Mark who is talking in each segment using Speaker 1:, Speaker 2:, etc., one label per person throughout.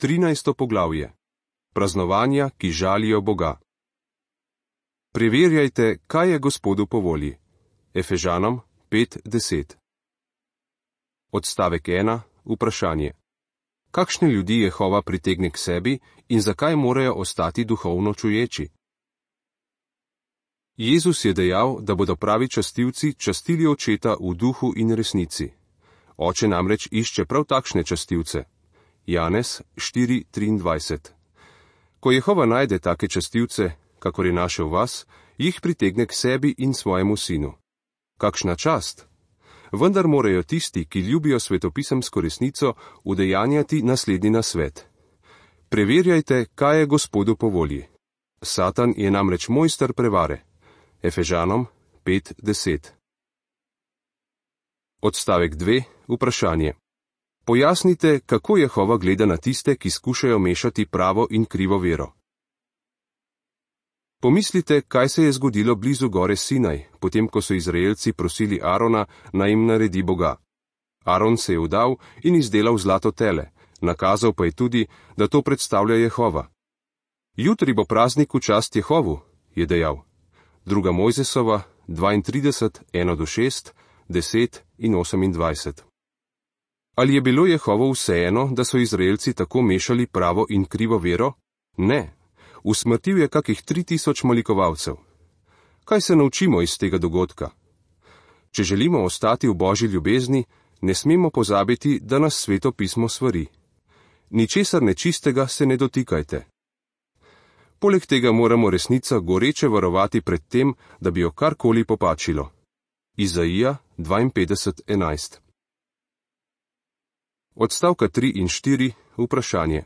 Speaker 1: 13. poglavje. Praznovanja, ki žalijo Boga. Preverjajte, kaj je Gospodu po volji. Efežanom 5:10. Odstavek 1. Vprašanje. Kakšne ljudi Jehova pritegne k sebi in zakaj morajo ostati duhovno čuječi? Jezus je dejal, da bodo pravi častilci častili očeta v duhu in resnici. Oče namreč išče prav takšne častilce. Janez 4:23. Ko Jehova najde take častilce, kakor je našel vas, jih pritegne k sebi in svojemu sinu. Kakšna čast! Vendar morajo tisti, ki ljubijo svetopisemsko resnico, udejanjati naslednji nasvet. Preverjajte, kaj je Gospodu po volji. Satan je namreč mojster prevare. Efežanom 5:10. Odstavek 2. Vprašanje. Pojasnite, kako Jehova gleda na tiste, ki skušajo mešati pravo in krivo vero. Pomislite, kaj se je zgodilo blizu gore Sinaj, potem ko so Izraelci prosili Arona, naj jim naredi Boga. Aron se je vdal in izdelal zlato tele, nakazal pa je tudi, da to predstavlja Jehova. Jutri bo praznik v čast Jehovu, je dejal. 2. Mojzesova 32, 1-6, 10 in 28. Ali je bilo Jehovo vseeno, da so Izraelci tako mešali pravo in krivo vero? Ne. Usmrtil je kakih 3000 molikovalcev. Kaj se naučimo iz tega dogodka? Če želimo ostati v Božji ljubezni, ne smemo pozabiti, da nas Sveto pismo svari. Ničesar nečistega se ne dotikajte. Poleg tega moramo resnico goreče varovati pred tem, da bi jo karkoli popačilo. Izaija 52:11. Odstavka 3 in 4. Vprašanje.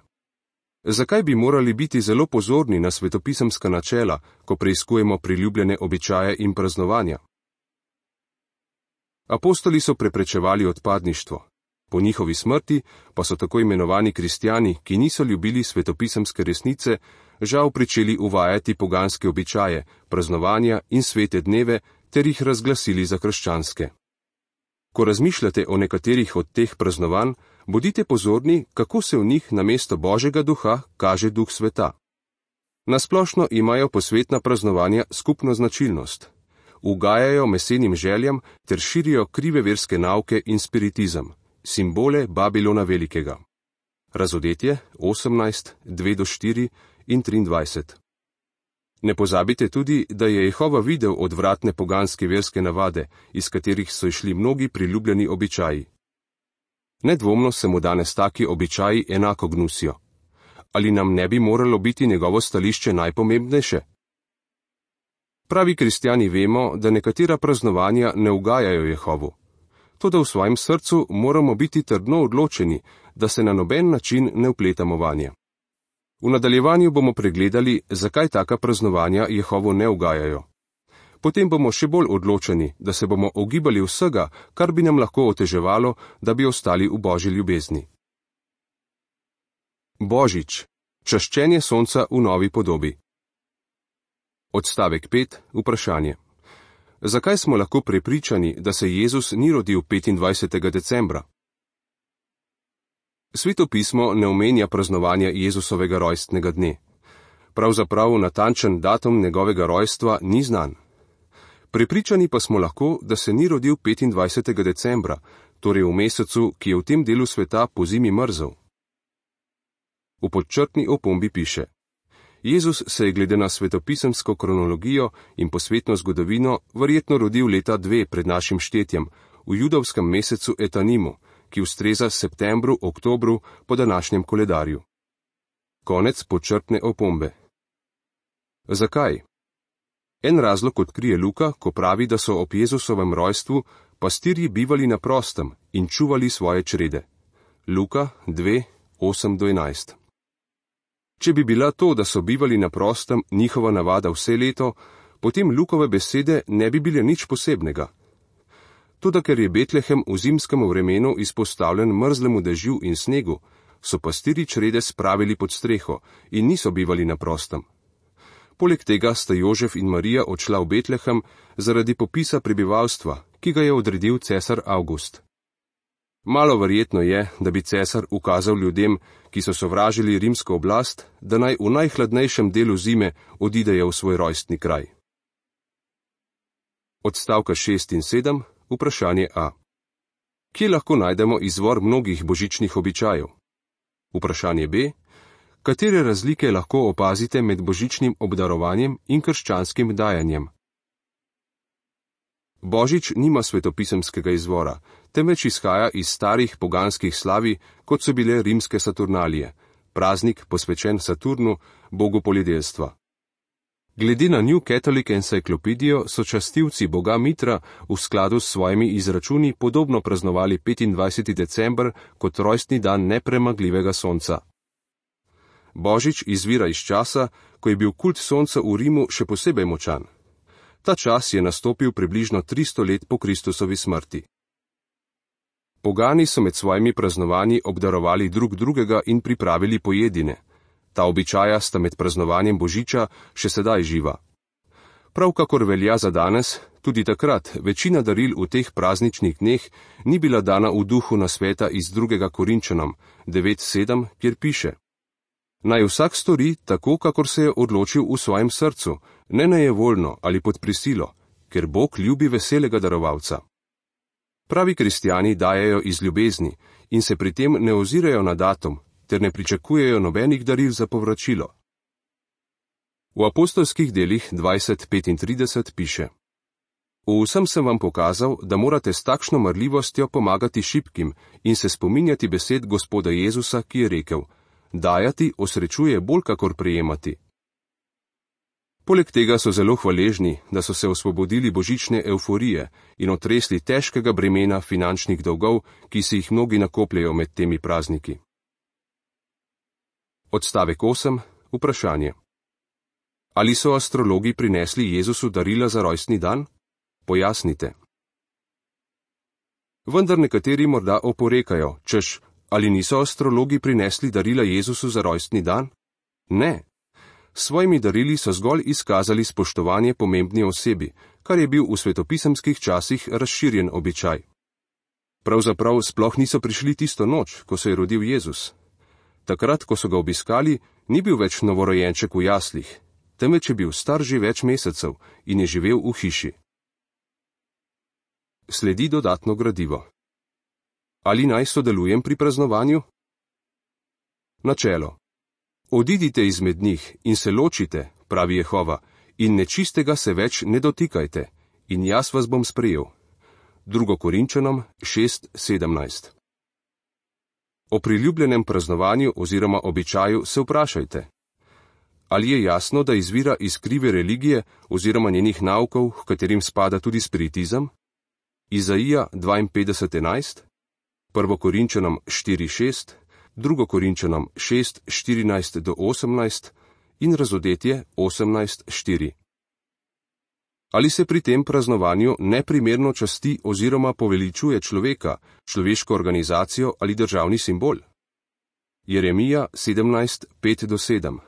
Speaker 1: Zakaj bi morali biti zelo pozorni na svetopisemska načela, ko preiskujemo priljubljene običaje in praznovanja? Apostoli so preprečevali odpadništvo. Po njihovi smrti pa so tako imenovani kristjani, ki niso ljubili svetopisemske resnice, žal pričeli uvajati poganske običaje, praznovanja in svete dneve ter jih razglasili za krščanske. Ko razmišljate o nekaterih od teh praznovanj, bodite pozorni, kako se v njih namesto Božjega duha kaže duh sveta. Nasplošno imajo posvetna praznovanja skupno značilnost. Ugajajo mesenim željam ter širijo krive verske nauke in spiritizem, simbole Babilona Velikega. Razodetje 18, 2-4 in 23. Ne pozabite tudi, da je Jehova videl odvratne poganske verske navade, iz katerih so išli mnogi priljubljeni običaji. Nedvomno se mu danes taki običaji enako gnusijo. Ali nam ne bi moralo biti njegovo stališče najpomembnejše? Pravi kristjani vemo, da nekatera praznovanja ne ugajajo Jehovu. Toda v svojem srcu moramo biti trdno odločeni, da se na noben način ne vpletamo vanje. V nadaljevanju bomo pregledali, zakaj taka praznovanja Jehovu ne ugajajo. Potem bomo še bolj odločeni, da se bomo ogibali vsega, kar bi nam lahko oteževalo, da bi ostali v Božji ljubezni. Božič. Čaščenje sonca v novi podobi. Odstavek 5. Vprašanje. Zakaj smo lahko prepričani, da se Jezus ni rodil 25. decembra? Sveto pismo ne omenja praznovanja Jezusovega rojstnega dne. Pravzaprav natančen datum njegovega rojstva ni znan. Prepričani pa smo lahko, da se ni rodil 25. decembra, torej v mesecu, ki je v tem delu sveta pozimi mrzel. V podčrtni opombi piše: Jezus se je glede na svetopisemsko kronologijo in posvetno zgodovino verjetno rodil leta 2 pred našim štetjem, v judovskem mesecu Etanimu, ki ustreza septembru, oktobru po današnjem koledarju. Konec podčrtne opombe. Zakaj? En razlog odkrije Luka, ko pravi, da so ob Jezusovem rojstvu pastirji bivali na prostem in čuvali svoje črede. Luka 2, 8-11. Če bi bila to, da so bivali na prostem, njihova navada vse leto, potem Lukove besede ne bi bile nič posebnega. Toda ker je Betlehem v zimskem vremenu izpostavljen mrzlemu dežju in snegu, so pastirji črede spravili pod streho in niso bivali na prostem. Poleg tega sta Jožef in Marija odšla v Betlehem zaradi popisa prebivalstva, ki ga je odredil cesar Avgust. Malo verjetno je, da bi cesar ukazal ljudem, ki so sovražili rimsko oblast, da naj v najhladnejšem delu zime odidejo v svoj rojstni kraj. Odstavka 6 in 7, vprašanje A. Kje lahko najdemo izvor mnogih božičnih običajev? Vprašanje B. Katere razlike lahko opazite med božičnim obdarovanjem in krščanskim dajanjem? Božič nima svetopisemskega izvora, temveč izhaja iz starih poganskih slavi, kot so bile rimske Saturnalije, praznik posvečen Saturnu, bogu poljedelstva. Glede na New Catholic Encyclopedia so častilci boga Mitra v skladu s svojimi izračuni podobno praznovali 25. december kot rojstni dan nepremagljivega sonca. Božič izvira iz časa, ko je bil kult sonca v Rimu še posebej močan. Ta čas je nastopil približno 300 let po Kristusovi smrti. Pogani so med svojimi praznovanji obdarovali drug drugega in pripravili pojedine. Ta običaja sta med praznovanjem Božiča še sedaj živa. Prav kakor velja za danes, tudi takrat večina daril v teh prazničnih dneh ni bila dana v duhu nasveta iz 2. Korinčanom 9:7, kjer piše: Naj vsak stori tako, kakor se je odločil v svojem srcu, ne nejevoljno ali pod prisilo, ker Bog ljubi veselega darovalca. Pravi kristjani dajejo iz ljubezni in se pri tem ne ozirajo na datum, ter ne pričakujejo nobenih daril za povračilo. V apostolskih delih 20:35 piše: V vsem sem vam pokazal, da morate s takšno marljivostjo pomagati šibkim in se spominjati besed Gospoda Jezusa, ki je rekel: Dajati osrečuje bolj kakor prejemati. Poleg tega so zelo hvaležni, da so se osvobodili božične evforije in otresli težkega bremena finančnih dolgov, ki si jih mnogi nakopljajo med temi prazniki. Odstavek 8. Vprašanje. Ali so astrologi prinesli Jezusu darila za rojstni dan? Pojasnite. Vendar nekateri morda oporekajo, češ, ali niso astrologi prinesli darila Jezusu za rojstni dan? Ne. S svojimi darili so zgolj izkazali spoštovanje pomembni osebi, kar je bil v svetopisemskih časih razširjen običaj. Pravzaprav sploh niso prišli tisto noč, ko se je rodil Jezus. Takrat, ko so ga obiskali, ni bil več novorojenček v jaslih, temveč je bil star že več mesecev in je živel v hiši. Sledi dodatno gradivo. Ali naj sodelujem pri praznovanju? Načelo. Odidite izmed njih in se ločite, pravi Jehova, in nečistega se več ne dotikajte, in jaz vas bom sprejel. 2. Korinčanom 6:17. O priljubljenem praznovanju oziroma običaju se vprašajte. Ali je jasno, da izvira iz krive religije oziroma njenih naukov, h katerim spada tudi spiritizem? Izaija 52:11, 1. Korinčanom 4:6, 2. Korinčanom 6:14-18 in Razodetje 18:4. Ali se pri tem praznovanju neprimerno časti oziroma poveličuje človeka, človeško organizacijo ali državni simbol? Jeremija 17:5-7,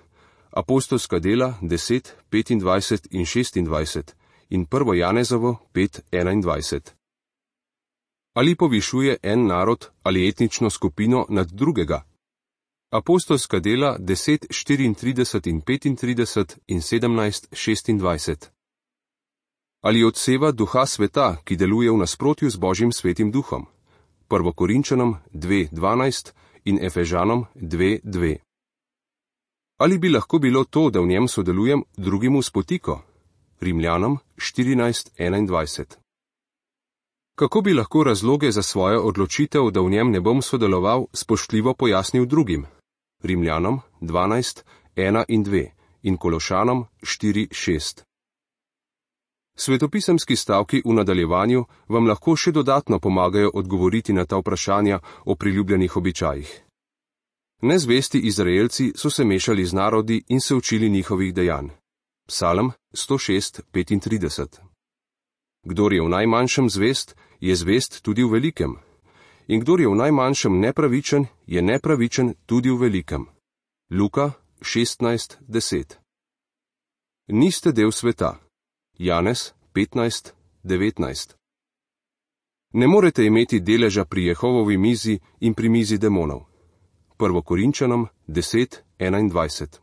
Speaker 1: Apostolska dela 10:25 in 26 in 1. Janezovo 5:21. Ali povišuje en narod ali etnično skupino nad drugega? Apostolska dela 10:34 in 35 in 17:26. Ali odseva duha sveta, ki deluje v nasprotju z Božjim svetim duhom? 1. Korinčanom 2:12 in Efežanom 2:2. Ali bi lahko bilo to, da v njem sodelujem, drugim v spotiko? Rimljanom 14:21. Kako bi lahko razloge za svojo odločitev, da v njem ne bom sodeloval, spoštljivo pojasnil drugim? Rimljanom 12:1 in 2 in Kološanom 4:6. Svetopisemski stavki v nadaljevanju vam lahko še dodatno pomagajo odgovoriti na ta vprašanja o priljubljenih običajih. Nezvesti Izraelci so se mešali z narodi in se učili njihovih dejanj. Psalm 106:35. Kdor je v najmanjšem zvest, je zvest tudi v velikem. In kdor je v najmanjšem nepravičen, je nepravičen tudi v velikem. Luka 16:10. Niste del sveta. Janez 15:19. Ne morete imeti deleža pri Jehovovi mizi in pri mizi demonov. 1. Korinčanom 10:21.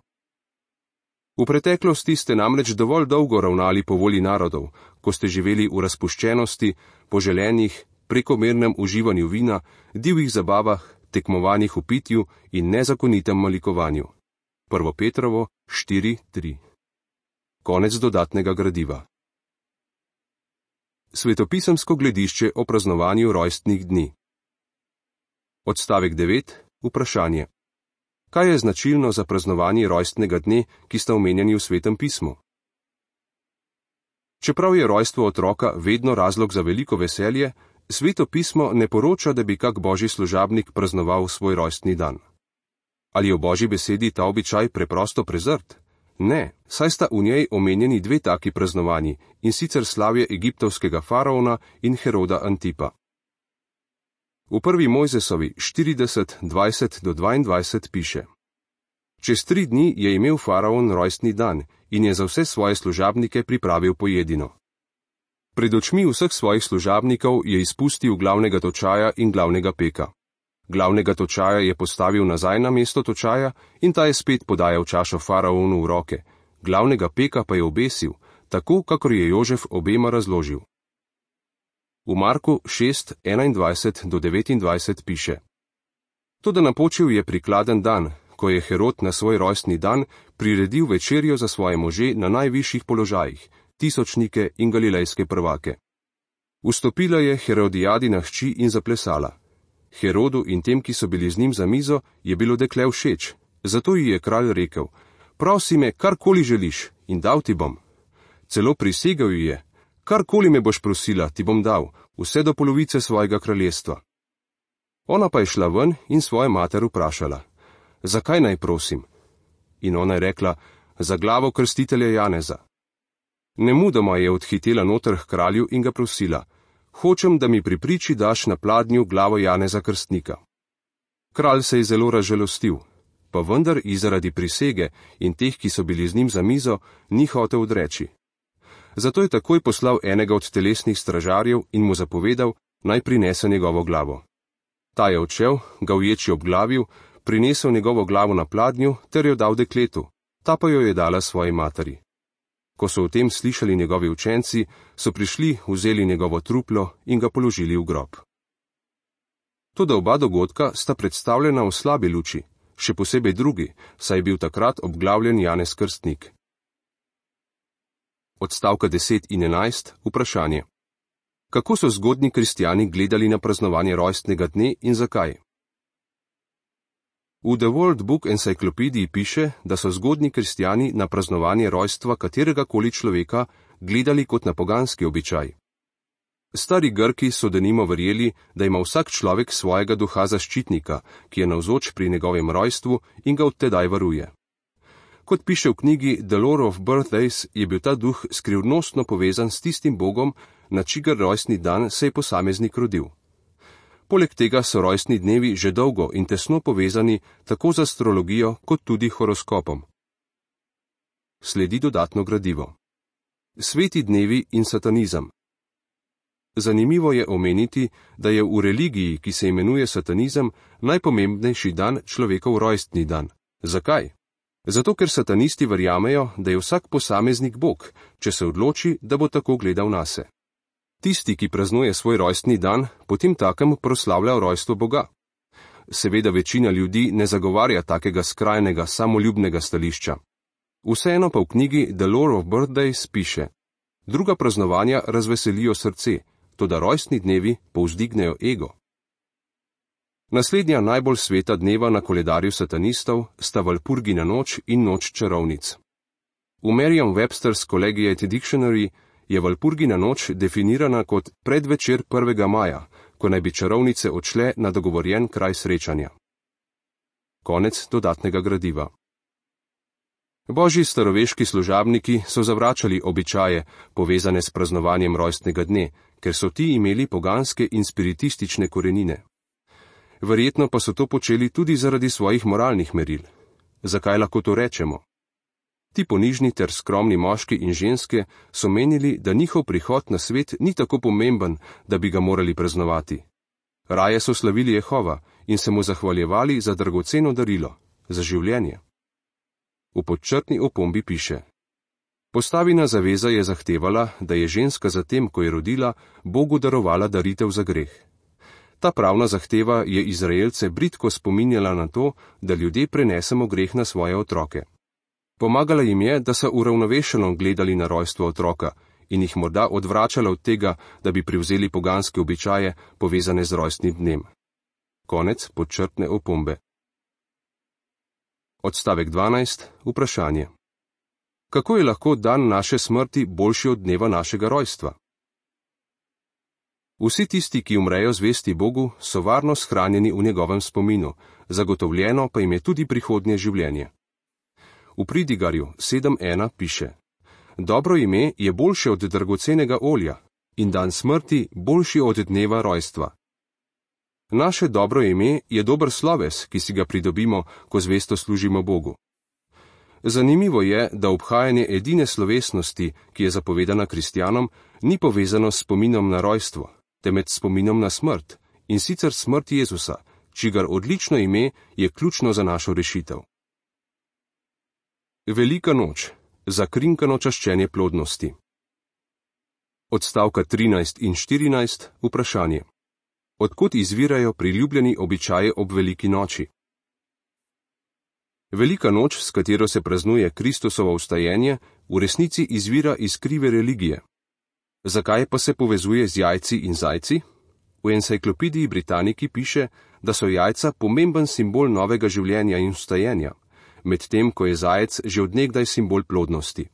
Speaker 1: V preteklosti ste namreč dovolj dolgo ravnali po volji narodov, ko ste živeli v razpuščenosti, poželenjih, prekomernem uživanju vina, divjih zabavah, tekmovanjih v pitju in nezakonitem malikovanju. 1. Petrovo 4:3. Konec dodatnega gradiva. Svetopisemsko gledišče o praznovanju rojstnih dni. Odstavek 9. Vprašanje. Kaj je značilno za praznovanje rojstnega dne, ki sta omenjeni v Svetem pismu? Čeprav je rojstvo otroka vedno razlog za veliko veselje, Sveto pismo ne poroča, da bi kak božji služabnik praznoval svoj rojstni dan. Ali je v božji besedi ta običaj preprosto prezrt? Ne, saj sta v njej omenjeni dve taki praznovanji, in sicer slavje egiptovskega faraona in Heroda Antipa. V 1. Mojzesovi 40:20-22 piše: Čez 3 dni je imel faraon rojstni dan in je za vse svoje služabnike pripravil pojedino. Pred očmi vseh svojih služabnikov je izpustil glavnega točaja in glavnega peka. Glavnega točaja je postavil nazaj na mesto točaja in ta je spet podajal čašo faraonu v roke, glavnega peka pa je obesil, tako kakor je Jožef obema razložil. V Marku 6:21-29 piše: Toda napočil je prikladen dan, ko je Herod na svoj rojstni dan priredil večerjo za svoje može na najvišjih položajih, tisočnike in galilejske prvake. Vstopila je Herodijadina hči in zaplesala. Herodu in tem, ki so bili z njim za mizo, je bilo dekle všeč, zato ji je kralj rekel: Prosi me, karkoli želiš, in dal ti bom. Celo prisegel ji je: Karkoli me boš prosila, ti bom dal, vse do polovice svojega kraljestva. Ona pa je šla ven in svojo mater vprašala: Zakaj naj prosim? In ona je rekla: Za glavo krstitelja Janeza. Nemudoma je odhitela noter k kralju in ga prosila: Hočem, da mi pri priči daš na pladnju glavo Janeza Krstnika. Kralj se je zelo razžalostil, pa vendar i zaradi prisege in teh, ki so bili z njim za mizo, ni hotel odreči. Zato je takoj poslal enega od telesnih stražarjev in mu zapovedal, naj prinese njegovo glavo. Ta je odšel, ga uječi obglavil, prinesel njegovo glavo na pladnju ter jo dal dekletu, ta pa jo je dala svoji materi. Ko so o tem slišali njegovi učenci, so prišli, vzeli njegovo truplo in ga položili v grob. Toda oba dogodka sta predstavljena v slabi luči, še posebej drugi, saj je bil takrat obglavljen Janez Krstnik. Odstavka 10 in 11. Vprašanje. Kako so zgodnji kristjani gledali na praznovanje rojstnega dne in zakaj? V The World Book Encyclopediji piše, da so zgodnji kristjani na praznovanje rojstva katerega koli človeka gledali kot na poganski običaj. Stari Grki so denimo verjeli, da ima vsak človek svojega duha zaščitnika, ki je navzoč pri njegovem rojstvu in ga od tedaj varuje. Kot piše v knjigi The Lore of Birthdays, je bil ta duh skrivnostno povezan s tistim bogom, na čigar rojstni dan se je posameznik rodil. Poleg tega so rojstni dnevi že dolgo in tesno povezani tako z astrologijo kot tudi horoskopom. Sledi dodatno gradivo. Sveti dnevi in satanizem. Zanimivo je omeniti, da je v religiji, ki se imenuje satanizem, najpomembnejši dan človekov rojstni dan. Zakaj? Zato, ker satanisti verjamejo, da je vsak posameznik bog, če se odloči, da bo tako gledal nase. Tisti, ki praznuje svoj rojstni dan, potem takem proslavlja rojstvo Boga. Seveda večina ljudi ne zagovarja takega skrajnega, samoljubnega stališča. Vseeno pa v knjigi The Lore of Birthdays piše: Druga praznovanja razveselijo srce, toda rojstni dnevi povzdignejo ego. Naslednja najbolj sveta dneva na koledarju satanistov sta Valpurgina noč in noč čarovnic. V Merriam-Webster's Collegiate Dictionary je Valpurgina noč definirana kot predvečer 1. maja, ko naj bi čarovnice odšle na dogovorjen kraj srečanja. Konec dodatnega gradiva. Božji staroveški služabniki so zavračali običaje, povezane s praznovanjem rojstnega dne, ker so ti imeli poganske in spiritistične korenine. Verjetno pa so to počeli tudi zaradi svojih moralnih meril. Zakaj lahko to rečemo? Ti ponižni ter skromni moški in ženske so menili, da njihov prihod na svet ni tako pomemben, da bi ga morali praznovati. Raje so slavili Jehova in se mu zahvaljevali za dragoceno darilo, za življenje. V podčrtni opombi piše: Postavina zaveza je zahtevala, da je ženska zatem, ko je rodila, Bogu darovala daritev za greh. Ta pravna zahteva je Izraelce bridko spominjala na to, da ljudje prenesemo greh na svoje otroke. Pomagala jim je, da so uravnovešeno gledali na rojstvo otroka in jih morda odvračala od tega, da bi prevzeli poganske običaje, povezane z rojstnim dnem. Konec podčrtne opombe. Odstavek 12. Vprašanje. Kako je lahko dan naše smrti boljši od dneva našega rojstva? Vsi tisti, ki umrejo zvesti Bogu, so varno shranjeni v njegovem spominu, zagotovljeno pa jim je tudi prihodnje življenje. V Pridigarju 7.1 piše: Dobro ime je boljše od dragocenega olja in dan smrti boljši od dneva rojstva. Naše dobro ime je dober sloves, ki si ga pridobimo, ko zvesto služimo Bogu. Zanimivo je, da obhajanje edine slovesnosti, ki je zapovedana kristjanom, ni povezano s spominom na rojstvo, temveč s spominom na smrt, in sicer smrt Jezusa, čigar odlično ime je ključno za našo rešitev. Velika noč. Zakrinkano čaščenje plodnosti. Odstavka 13 in 14. Vprašanje. Odkot izvirajo priljubljeni običaji ob veliki noči? Velika noč, s katero se praznuje Kristusovo vstajenje, v resnici izvira iz krive religije. Zakaj pa se povezuje z jajci in zajci? V enciklopediji Britaniki piše, da so jajca pomemben simbol novega življenja in vstajenja, medtem ko je zajec že od nekdaj simbol plodnosti.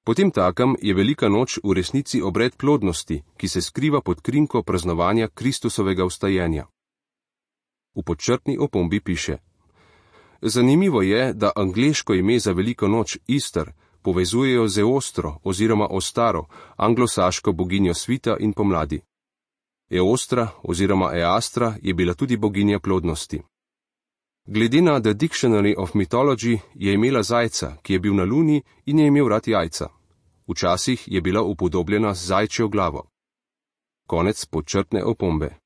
Speaker 1: Potemtakem je velika noč v resnici obred plodnosti, ki se skriva pod krinko praznovanja Kristusovega vstajenja. V podčrtni opombi piše: Zanimivo je, da angleško ime za veliko noč Easter povezujejo z Eostro oziroma Ostaro, anglosaško boginjo svita in pomladi. Eostra oziroma Eastra je bila tudi boginja plodnosti. Glede na The Dictionary of Mythology je imela zajca, ki je bil na luni in je imel rad jajca. Včasih je bila upodobljena z zajčjo glavo. Konec podčrtne opombe.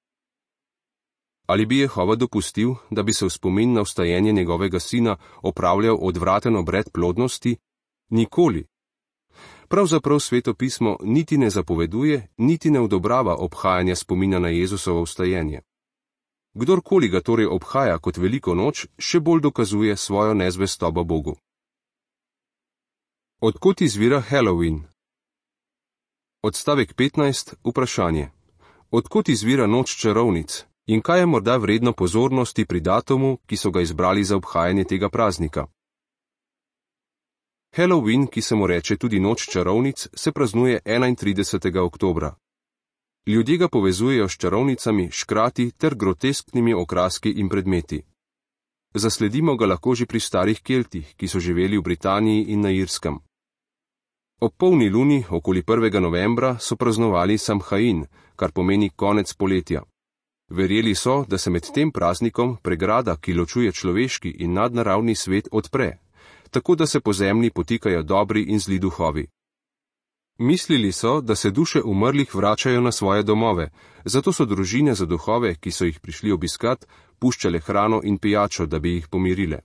Speaker 1: Ali bi Jehova dopustil, da bi se v spomin na vstajenje njegovega sina opravljal odvraten obred plodnosti? Nikoli. Pravzaprav Sveto pismo niti ne zapoveduje, niti ne odobrava obhajanja spomina na Jezusovo vstajenje. Kdorkoli ga torej obhaja kot veliko noč, še bolj dokazuje svojo nezvestobo Bogu. Odkot izvira Halloween? Odstavek 15. Vprašanje. Odkot izvira noč čarovnic in kaj je morda vredno pozornosti pri datumu, ki so ga izbrali za obhajanje tega praznika? Halloween, ki se mu reče tudi noč čarovnic, se praznuje 31. oktobra. Ljudje ga povezujejo s čarovnicami, škrati ter grotesknimi okraski in predmeti. Zasledimo ga lahko že pri starih Keltih, ki so živeli v Britaniji in na Irskem. Ob polni luni, okoli 1. novembra, so praznovali Samhain, kar pomeni konec poletja. Verjeli so, da se med tem praznikom pregrada, ki ločuje človeški in nadnaravni svet, odpre, tako da se po zemlji potikajo dobri in zli duhovi. Mislili so, da se duše umrlih vračajo na svoje domove, zato so družine za duhove, ki so jih prišli obiskat, puščale hrano in pijačo, da bi jih pomirile.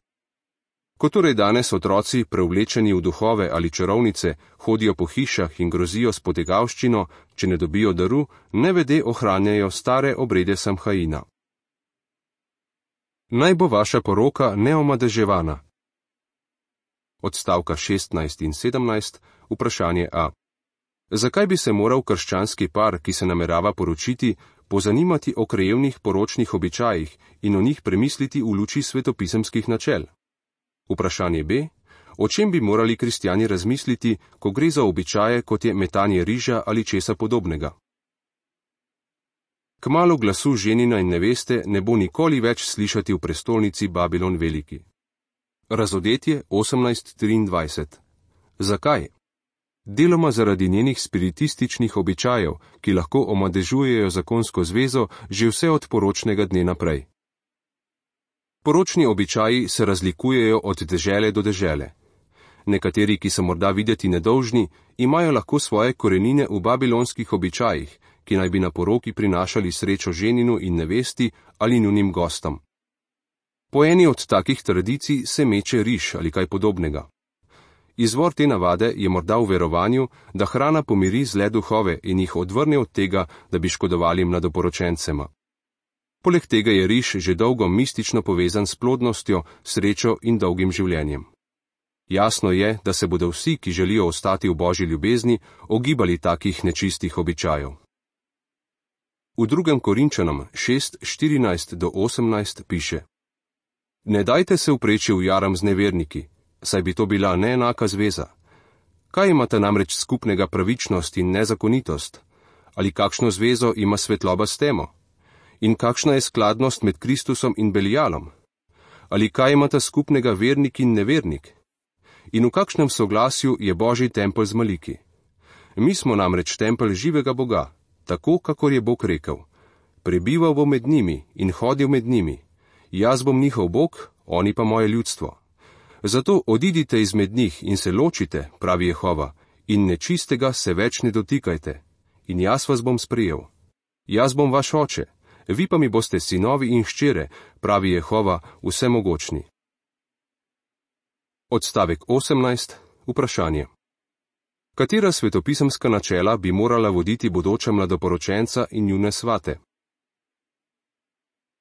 Speaker 1: Ko torej danes otroci, preoblečeni v duhove ali čarovnice, hodijo po hišah in grozijo s potegavščino, če ne dobijo daru, nevede ohranjajo stare obrede Samhaina. Naj bo vaša poroka neomadeževana. Odstavka 16 in 17. Vprašanje A. Zakaj bi se moral krščanski par, ki se namerava poročiti, pozanimati o krajevnih poročnih običajih in o njih premisliti v luči svetopisemskih načel? Vprašanje B. O čem bi morali kristjani razmisliti, ko gre za običaje, kot je metanje riža ali česa podobnega? Kmalu glasu ženina in neveste ne bo nikoli več slišati v prestolnici Babilon Veliki. Razodetje 18:23. Zakaj? Deloma zaradi njenih spiritističnih običajev, ki lahko omadežujejo zakonsko zvezo že vse od poročnega dne naprej. Poročni običaji se razlikujejo od dežele do dežele. Nekateri, ki so morda videti nedolžni, imajo lahko svoje korenine v babilonskih običajih, ki naj bi na poroki prinašali srečo ženinu in nevesti ali njunim gostom. Po eni od takih tradicij se meče riž ali kaj podobnega. Izvor te navade je morda v verovanju, da hrana pomiri zle duhove in jih odvrne od tega, da bi škodovali mladoporočencema. Poleg tega je riž že dolgo mistično povezan s plodnostjo, srečo in dolgim življenjem. Jasno je, da se bodo vsi, ki želijo ostati v Božji ljubezni, ogibali takih nečistih običajev. V 2. Korinčanom 6:14-18 piše: Ne dajte se vpreči v jaram z neverniki, saj bi to bila neenaka zveza. Kaj imata namreč skupnega pravičnost in nezakonitost? Ali kakšno zvezo ima svetloba s temo? In kakšna je skladnost med Kristusom in Belialom? Ali kaj imata skupnega vernik in nevernik? In v kakšnem soglasju je Božji tempelj z maliki? Mi smo namreč tempelj živega Boga, tako kakor je Bog rekel: Prebival bom med njimi in hodil med njimi. Jaz bom njihov Bog, oni pa moje ljudstvo. Zato odidite izmed njih in se ločite, pravi Jehova, in nečistega se več ne dotikajte. In jaz vas bom sprejel. Jaz bom vaš oče, vi pa mi boste sinovi in hčere, pravi Jehova vsemogočni. Odstavek 18. Vprašanje. Katera svetopisemska načela bi morala voditi bodoča mladoporočenca in njune svate?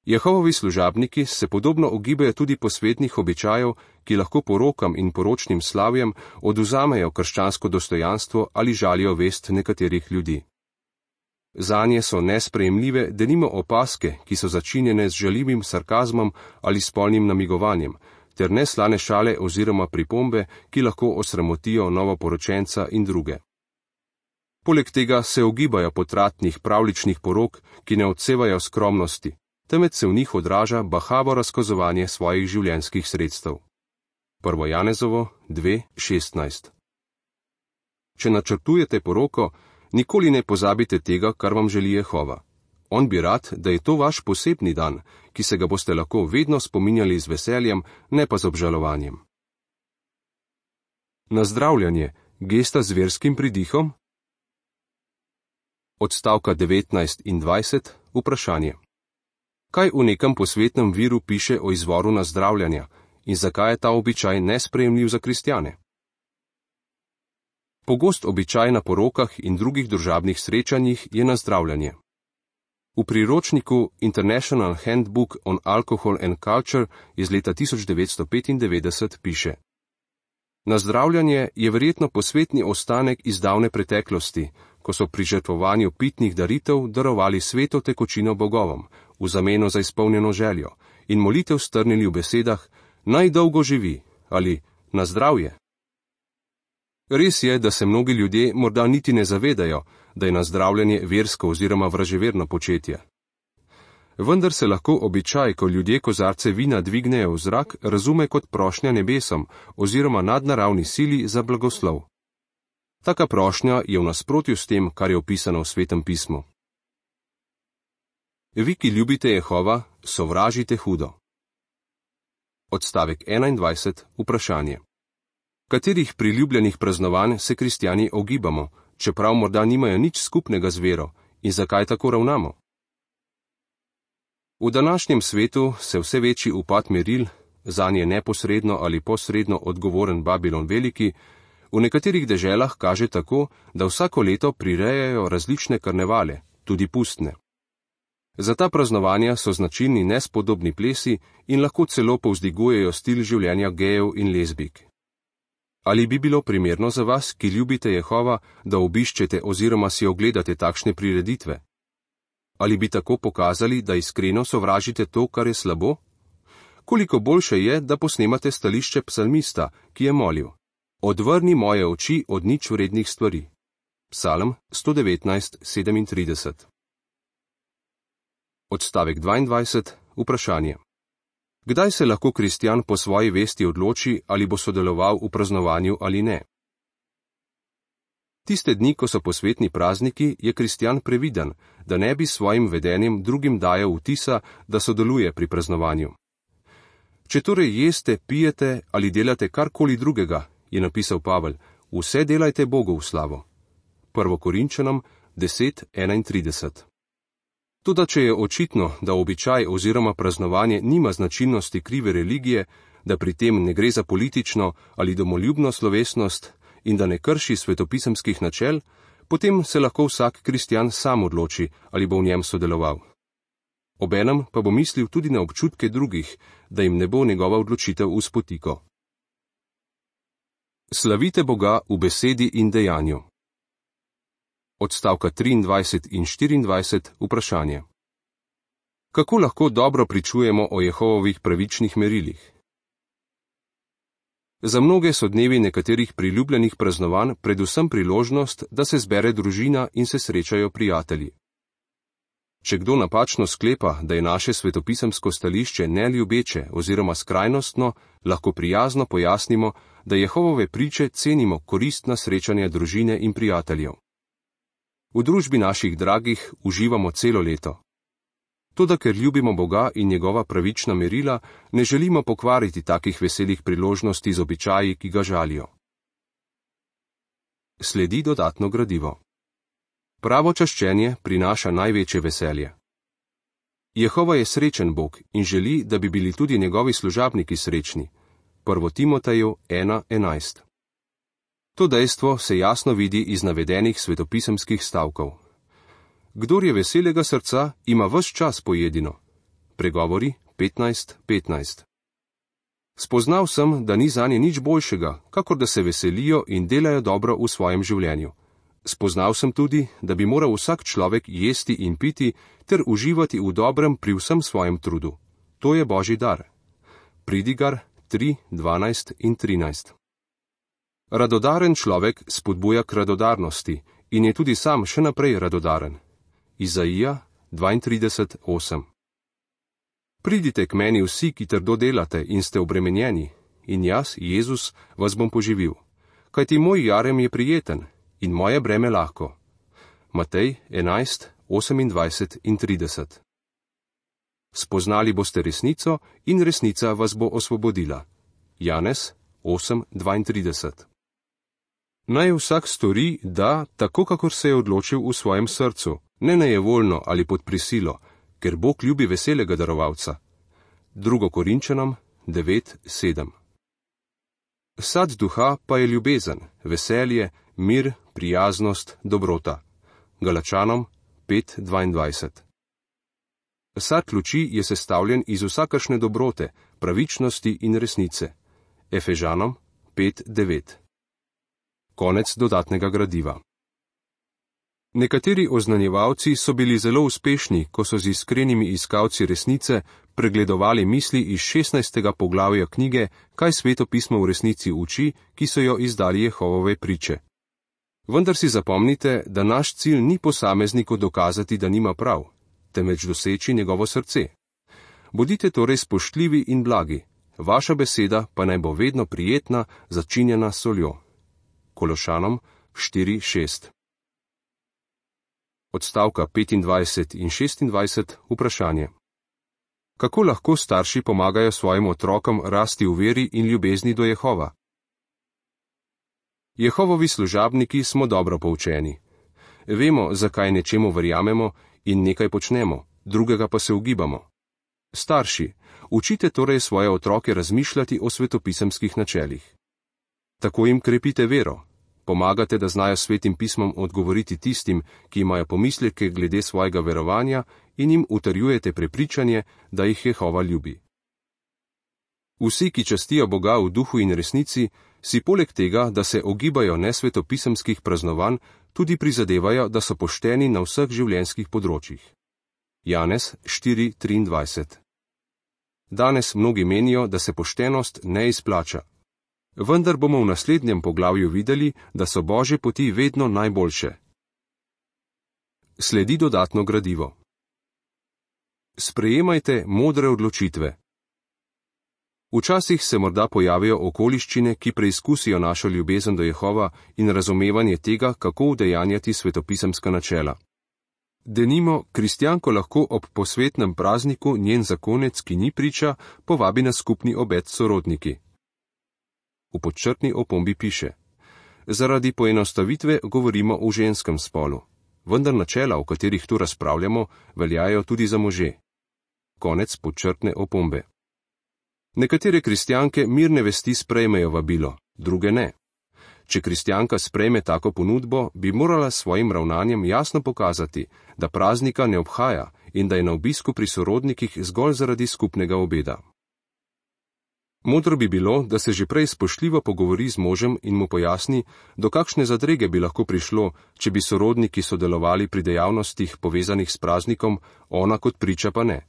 Speaker 1: Jehovovi služabniki se podobno ogibajo tudi posvetnih običajev, ki lahko porokam in poročnim slavjem oduzamejo krščansko dostojanstvo ali žalijo vest nekaterih ljudi. Zanje so nesprejemljive denimo opaske, ki so začinjene z žaljivim sarkazmom ali spolnim namigovanjem, ter neslane šale oziroma pripombe, ki lahko osramotijo novoporočenca in druge. Poleg tega se ogibajo potratnih pravličnih porok, ki ne odsevajo skromnosti, temveč se v njih odraža bahavo razkazovanje svojih življenjskih sredstev. 1. Janezovo 2:16. Če načrtujete poroko, nikoli ne pozabite tega, kar vam želi Jehova. On bi rad, da je to vaš posebni dan, ki se ga boste lahko vedno spominjali z veseljem, ne pa z obžalovanjem. Nazdravljanje, gesta z verskim pridihom? Odstavka 19 in 20, vprašanje. Kaj v nekem posvetnem viru piše o izvoru nazdravljanja in zakaj je ta običaj nesprejemljiv za kristjane? Pogost običaj na porokah in drugih družabnih srečanjih je nazdravljanje. V priročniku International Handbook on Alcohol and Culture iz leta 1995 piše: Nazdravljanje je verjetno posvetni ostanek iz davne preteklosti, ko so pri žrtvovanju pitnih daritev darovali sveto tekočino bogovom, v zameno za izpolnjeno željo, in molitev strnili v besedah: Naj dolgo živi ali na zdravje. Res je, da se mnogi ljudje morda niti ne zavedajo, da je nazdravljanje versko oziroma vraževerno početje. Vendar se lahko običaj, ko ljudje kozarce vina dvignejo v zrak, razume kot prošnja nebesom oziroma nadnaravni sili za blagoslov. Taka prošnja je v nasprotju s tem, kar je opisano v Svetem pismu. Vi, ki ljubite Jehova, sovražite hudo. Odstavek 21. Vprašanje. Katerih priljubljenih praznovanj se kristjani ogibamo, čeprav morda nimajo nič skupnega z vero, in zakaj tako ravnamo? V današnjem svetu se vse večji upad meril, zanje neposredno ali posredno odgovoren Babilon Veliki, v nekaterih deželah kaže tako, da vsako leto prirejajo različne karnevale, tudi pustne. Za ta praznovanja so značilni nespodobni plesi in lahko celo povzdigujejo stil življenja gejev in lezbik. Ali bi bilo primerno za vas, ki ljubite Jehova, da obiščete oziroma si ogledate takšne prireditve? Ali bi tako pokazali, da iskreno sovražite to, kar je slabo? Koliko boljše je, da posnemate stališče psalmista, ki je molil: Odvrni moje oči od nič vrednih stvari. Psalm 119:37. Odstavek 22. Vprašanje. Kdaj se lahko kristjan po svoji vesti odloči, ali bo sodeloval v praznovanju ali ne? Tiste dni, ko so posvetni prazniki, je kristjan previden, da ne bi s svojim vedenjem drugim dajal vtisa, da sodeluje pri praznovanju. Če torej jeste, pijete ali delate karkoli drugega, je napisal Pavel, vse delajte Bogu v slavo. 1. Korinčanom 10:31. Toda če je očitno, da običaj oziroma praznovanje nima značilnosti krive religije, da pri tem ne gre za politično ali domoljubno slovesnost in da ne krši svetopisemskih načel, potem se lahko vsak kristjan sam odloči, ali bo v njem sodeloval. Obenem pa bo mislil tudi na občutke drugih, da jim ne bo njegova odločitev v spotiko. Slavite Boga v besedi in dejanju. Odstavka 23 in 24 vprašanje. Kako lahko dobro pričujemo o Jehovovih pravičnih merilih? Za mnoge so dnevi nekaterih priljubljenih praznovanj predvsem priložnost, da se zbere družina in se srečajo prijatelji. Če kdo napačno sklepa, da je naše svetopisemsko stališče neljubeče oziroma skrajnostno, lahko prijazno pojasnimo, da Jehovove priče cenimo koristna srečanja družine in prijateljev. V družbi naših dragih uživamo celo leto. Toda ker ljubimo Boga in njegova pravična merila, ne želimo pokvariti takih veselih priložnosti z običaji, ki ga žalijo. Sledi dodatno gradivo. Pravo čaščenje prinaša največje veselje. Jehova je srečen Bog in želi, da bi bili tudi njegovi služabniki srečni. 1. Timoteju 1:11. To dejstvo se jasno vidi iz navedenih svetopisemskih stavkov. Kdor je veselega srca, ima ves čas pojedino. Pregovori 15:15. Spoznal sem, da ni zanje nič boljšega, kakor da se veselijo in delajo dobro v svojem življenju. Spoznal sem tudi, da bi moral vsak človek jesti in piti ter uživati v dobrem pri vsem svojem trudu. To je Božji dar. Pridigar 3:12 in 13. Radodaren človek spodbuja k radodarnosti in je tudi sam še naprej radodaren. Izaija 32:8. Pridite k meni vsi, ki trdo delate in ste obremenjeni, in jaz, Jezus, vas bom poživil. Kajti moj jarem je prijeten in moje breme lahko. Matej 11:28 in 30. Spoznali boste resnico in resnica vas bo osvobodila. Janez 8:32. Naj vsak stori, da, tako kakor se je odločil v svojem srcu, ne nejevoljno ali pod prisilo, ker Bog ljubi veselega darovalca. 2. Korinčanom 9:7. Sad duha pa je ljubezen, veselje, mir, prijaznost, dobrota. Galačanom 5:22. Sad luči je sestavljen iz vsakršne dobrote, pravičnosti in resnice. Efežanom 5:9. Konec dodatnega gradiva. Nekateri oznanjevalci so bili zelo uspešni, ko so z iskrenimi iskalci resnice pregledovali misli iz 16. poglavja knjige, kaj Sveto pismo v resnici uči, ki so jo izdali Jehovove priče. Vendar si zapomnite, da naš cilj ni posamezniku dokazati, da nima prav, temveč doseči njegovo srce. Bodite torej spoštljivi in blagi, vaša beseda pa naj bo vedno prijetna, začinjena s soljo. Kološanom 4:6. Odstavka 25 in 26 vprašanje. Kako lahko starši pomagajo svojim otrokom rasti v veri in ljubezni do Jehova? Jehovovi služabniki smo dobro poučeni. Vemo, zakaj nečemu verjamemo in nekaj počnemo, drugega pa se ugibamo. Starši, učite torej svoje otroke razmišljati o svetopisemskih načelih. Tako jim krepite vero. Pomagate, da znajo svetim pismom odgovoriti tistim, ki imajo pomisleke glede svojega verovanja, in jim utrjujete prepričanje, da jih Jehova ljubi. Vsi, ki častijo Boga v duhu in resnici, si poleg tega, da se ogibajo nesvetopisemskih praznovanj, tudi prizadevajo, da so pošteni na vseh življenjskih področjih. Janez 4:23. Danes mnogi menijo, da se poštenost ne izplača. Vendar bomo v naslednjem poglavju videli, da so Božje poti vedno najboljše. Sledi dodatno gradivo. Sprejemajte modre odločitve. Včasih se morda pojavijo okoliščine, ki preizkusijo našo ljubezen do Jehova in razumevanje tega, kako udejanjati svetopisemska načela. Denimo, kristjanko lahko ob posvetnem prazniku njen zakonec, ki ni priča, povabi na skupni obed s sorodniki. v podčrtni opombi piše: Zaradi poenostavitve govorimo o ženskem spolu, vendar načela, o katerih tu razpravljamo, veljajo tudi za može. Konec podčrtne opombe. Nekatere kristjanke mirne vesti sprejmejo vabilo, druge ne. Če kristjanka sprejme tako ponudbo, bi morala s svojim ravnanjem jasno pokazati, da praznika ne obhaja in da je na obisku pri sorodnikih zgolj zaradi skupnega obeda. Modro bi bilo, da se že prej spoštljivo pogovori z možem in mu pojasni, do kakšne zadrege bi lahko prišlo, če bi sorodniki sodelovali pri dejavnostih povezanih s praznikom, ona kot priča pa ne.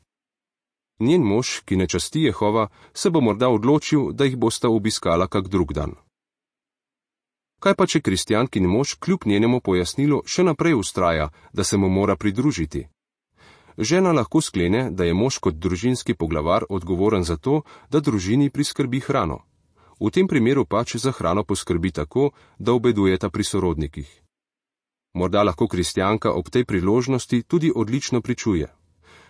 Speaker 1: Njen mož, ki ne časti Jehova, se bo morda odločil, da jih bosta obiskala kak drug dan. Kaj pa, če kristjankin mož kljub njenemu pojasnilu še naprej vztraja, da se mu mora pridružiti? Žena lahko sklene, da je mož kot družinski poglavar odgovoren za to, da družini priskrbi hrano. V tem primeru pač za hrano poskrbi tako, da obedujeta pri sorodnikih. Morda lahko kristjanka ob tej priložnosti tudi odlično pričuje.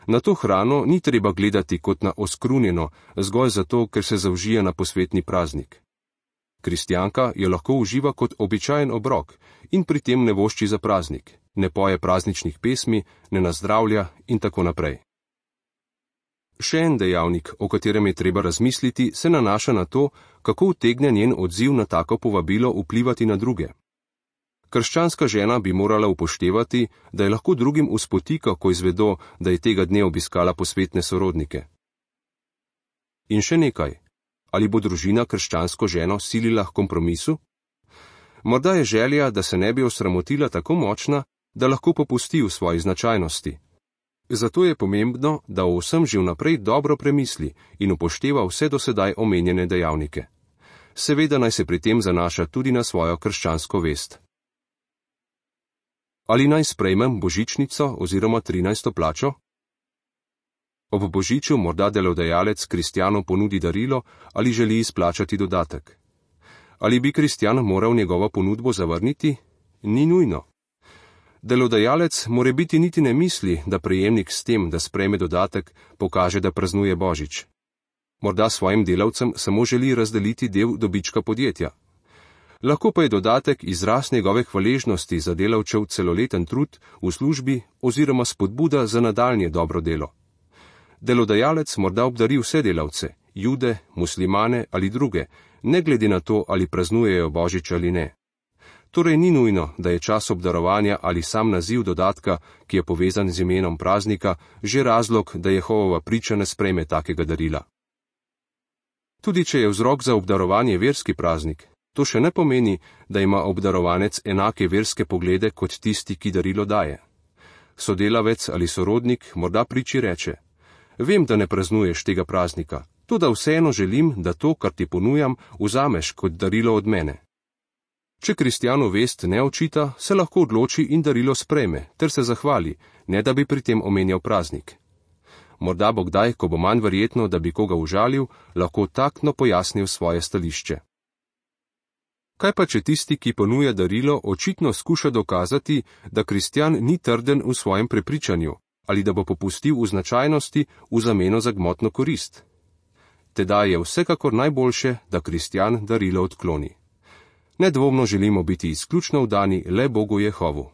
Speaker 1: Na to hrano ni treba gledati kot na oskrunjeno, zgolj zato, ker se zaužije na posvetni praznik. Kristjanka jo lahko uživa kot običajen obrok in pri tem ne vošči za praznik, ne poje prazničnih pesmi, ne nazdravlja in tako naprej. Še en dejavnik, o katerem je treba razmisliti, se nanaša na to, kako utegne njen odziv na tako povabilo vplivati na druge. Krščanska žena bi morala upoštevati, da je lahko drugim uspotika, ko izvedo, da je tega dne obiskala posvetne sorodnike. In še nekaj. Ali bo družina krščansko ženo silila k kompromisu? Morda je želja, da se ne bi osramotila tako močna, da lahko popusti v svoji značajnosti. Zato je pomembno, da o vsem že vnaprej dobro premisli in upošteva vse do sedaj omenjene dejavnike. Seveda naj se pri tem zanaša tudi na svojo krščansko vest. Ali naj sprejmem božičnico oziroma 13. plačo? Ob božiču morda delodajalec kristjanu ponudi darilo ali želi izplačati dodatek. Ali bi kristjan moral njegovo ponudbo zavrniti? Ni nujno. Delodajalec morebiti niti ne misli, da prejemnik s tem, da sprejme dodatek, pokaže, da praznuje božič. Morda svojim delavcem samo želi razdeliti del dobička podjetja. Lahko pa je dodatek izraz njegove hvaležnosti za delavčev celoleten trud v službi oziroma spodbuda za nadaljnje dobro delo. Delodajalec morda obdari vse delavce, Jude, muslimane ali druge, ne glede na to, ali praznujejo božič ali ne. Torej ni nujno, da je čas obdarovanja ali sam naziv dodatka, ki je povezan z imenom praznika, že razlog, da Jehovova priča ne sprejme takega darila. Tudi če je vzrok za obdarovanje verski praznik, to še ne pomeni, da ima obdarovanec enake verske poglede kot tisti, ki darilo daje. Sodelavec ali sorodnik morda priči reče: Vem, da ne praznuješ tega praznika, toda vseeno želim, da to, kar ti ponujam, vzameš kot darilo od mene. Če kristjanu vest ne očita, se lahko odloči in darilo sprejme, ter se zahvali, ne da bi pri tem omenjal praznik. Morda bo kdaj, ko bo manj verjetno, da bi koga užalil, lahko taktno pojasnil svoje stališče. Kaj pa, če tisti, ki ponuja darilo, očitno skuša dokazati, da kristjan ni trden v svojem prepričanju, ali da bo popustil v značajnosti v zameno za gmotno korist? Teda je vsekakor najboljše, da kristjan darilo odkloni. Nedvomno želimo biti izključno vdani le Bogu Jehovu.